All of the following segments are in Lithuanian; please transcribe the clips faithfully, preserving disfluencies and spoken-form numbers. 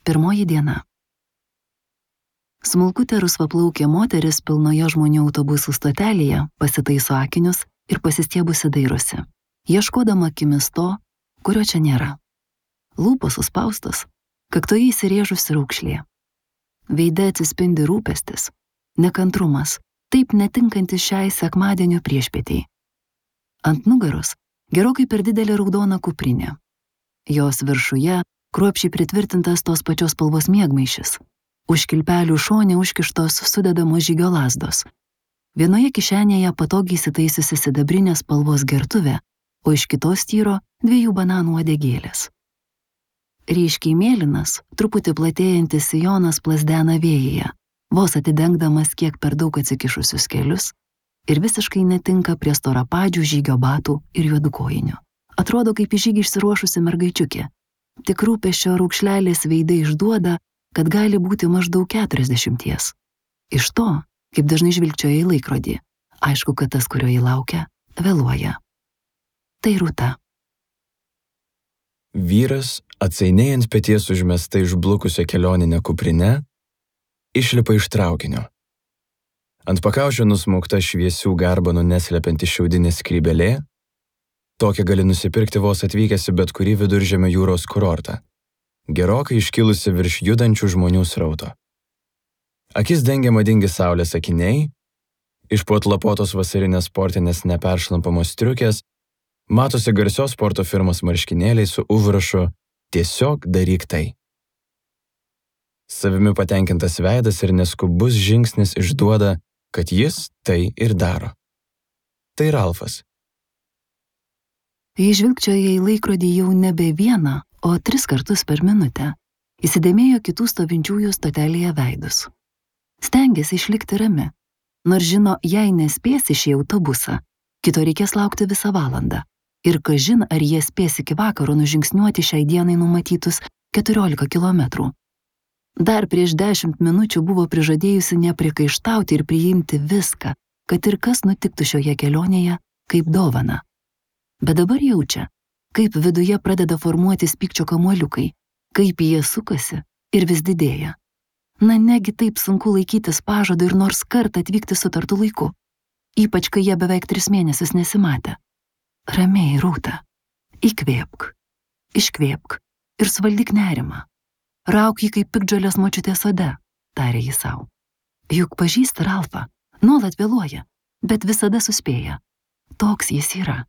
Pirmoji diena. Smulkutė rusvaplaukė moteris pilnoje žmonių autobusų stotelėje pasitaiso akinius ir pasistiebusi dairosi, ieškodama akimis to, kurio čia nėra. Lūpos suspaustos, kaktoje įsirėžusi raukšlė. Veide atsispindi rūpestis, nekantrumas, taip netinkantis šiai sekmadienio priešpietei. Ant nugaros gerokai per didelė raudona kuprinė. Jos viršuje kruopščiai pritvirtintas tos pačios spalvos miegmaišis. Už kilpelių šone užkištos sudedamos žygio lazdos. Vienoje kišenėje patogiai įsitaisiusi sidabrinės spalvos gertuvė, o iš kitos tyro dviejų bananų uodegėlės. Ryškiai mėlynas, truputį platėjantis sijonas plazdena vėjyje, vos atidengdamas kiek per daug atsikišusius kelius ir visiškai netinka prie storapadžių žygio batų ir juodų kojinių. Atrodo kaip į žygį išsiruošusi mergaičiukė. Tik rūpesčio raukšlelės veidai išduoda, kad gali būti maždaug keturiasdešimties. Iš to, kaip dažnai žvilgčioja į laikrodį, aišku, kad tas, kurio jį laukia, vėluoja. Tai Rūta. Vyras, atsainiai ant peties užmesta išblukusio kelioninę kuprinę, išlipa iš traukinio. Ant pakaušio nusmaukta šviesių garbanų neslepianti šiaudinė skrybelė. Tokią gali nusipirkti vos atvykęs į bet kurį viduržemio jūros kurortą, gerokai iškilusi virš judančių žmonių srauto. Akis dengia madingi saulės akiniai, iš po atlapotos vasarinės sportinės neperšlampamos striukės matosi garsios sporto firmos marškinėliai su užrašu "Tiesiog daryk tai". Savimi patenkintas veidas ir neskubus žingsnis išduoda, kad jis tai ir daro. Tai Ralfas. Jei žvilgčioja į laikrodį jau nebe vieną, o tris kartus per minutę, įsidėmėjo kitų stovinčiųjų stotelėje veidus. Stengėsi išlikti rami, nors žino, jei nespės į šį autobusą, kito reikės laukti visą valandą. Ir kažin, ar jie spės iki vakaro nužingsniuoti šiai dienai numatytus keturiolika kilometrų. Dar prieš dešimt minučių buvo prižadėjusi nepriekaištauti ir priimti viską, kad ir kas nutiktų šioje kelionėje, kaip dovana. Bet dabar jaučia, kaip viduje pradeda formuotis pykčio kamuoliukai, kaip jie sukasi ir vis didėja. Na negi taip sunku laikytis pažado ir nors kartą atvykti sutartu laiku, ypač kai jie beveik tris mėnesius nesimatė. Ramiai, Rūta, įkvėpk, iškvėpk ir suvaldyk nerimą. Rauk jį kaip piktžolės močiutės sode, tarė jis sau. Juk pažįsta Ralfą, nuolat vėluoja, bet visada suspėja. Toks jis yra.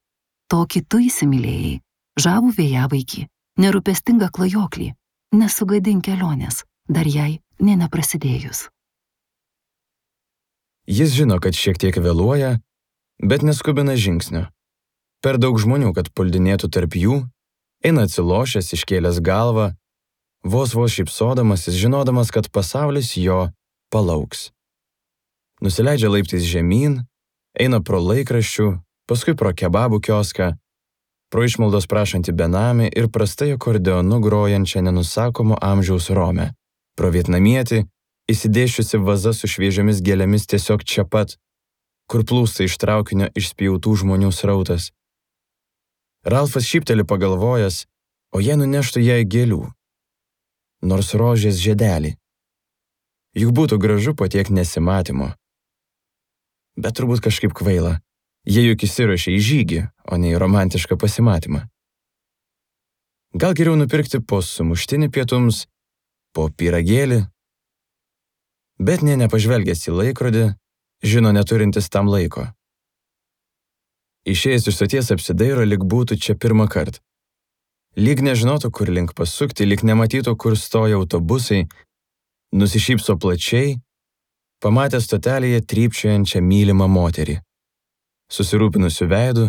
Tokį tu įsimylėjai, žavų vėjavaikį, nerūpestingą klajoklį, nesugadink kelionės, dar jai nė neprasidėjus. Jis žino, kad šiek tiek vėluoja, bet neskubina žingsnio. Per daug žmonių, kad puldinėtų tarp jų, eina atsilošęs, iškėlęs galvą, vos vos šypsodamasis, žinodamas, kad pasaulis jo palauks. Nusileidžia laiptais žemyn, eina pro laikraščių, paskui pro kebabų kioską, pro išmaldos prašantį benamį ir prastai akordeonu grojančią nenusakomo amžiaus romę, pro vietnamietį, įsidėšiusi vaza su šviežiomis gėlėmis tiesiog čia pat, kur plūsta iš traukinio išspjautų žmonių srautas. Ralfas šypteli pagalvojęs, o jie nuneštų jai gėlių, nors rožės žiedelį. Juk būtų gražu po tiek nesimatymo. Bet turbūt kažkaip kvaila. Jie juk įsiruošė į žygį, o ne į romantišką pasimatymą. Gal geriau nupirkti po sumuštinį pietums, po pyragėlį, bet nė nepažvelgęs į laikrodį, žino neturintis tam laiko. Išėjęs iš stoties apsidairo, lyg būtų čia pirmą kartą. Lyg nežinotų, kur link pasukti, lyg nematytų, kur stoja autobusai, nusišypso plačiai, pamatė stotelėje trypčiojančią mylimą moterį, susirūpinusių veidų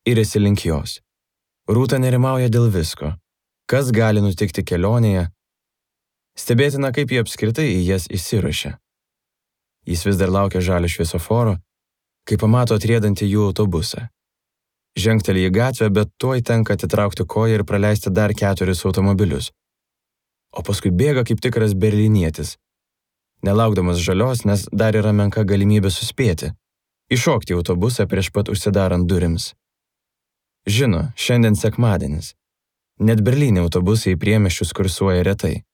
ir esi link jos. Rūta nerimauja dėl visko, kas gali nutikti kelionėje. Stebėtina, kaip jie apskritai į jas įsiruošia. Jis vis dar laukia žalio šviesoforo, kai pamato atriedantį jų autobusą. Žengteli į gatvę, bet tuoj tenka atitraukti koją ir praleisti dar keturis automobilius. O paskui bėga kaip tikras berlynietis, nelaukdamas žalios, nes dar yra menka galimybė suspėti. Iššokti į autobusą prieš pat užsidarant durims. Žino, šiandien sekmadienis. Net Berlyne autobusai į priemiesčius kursuoja retai.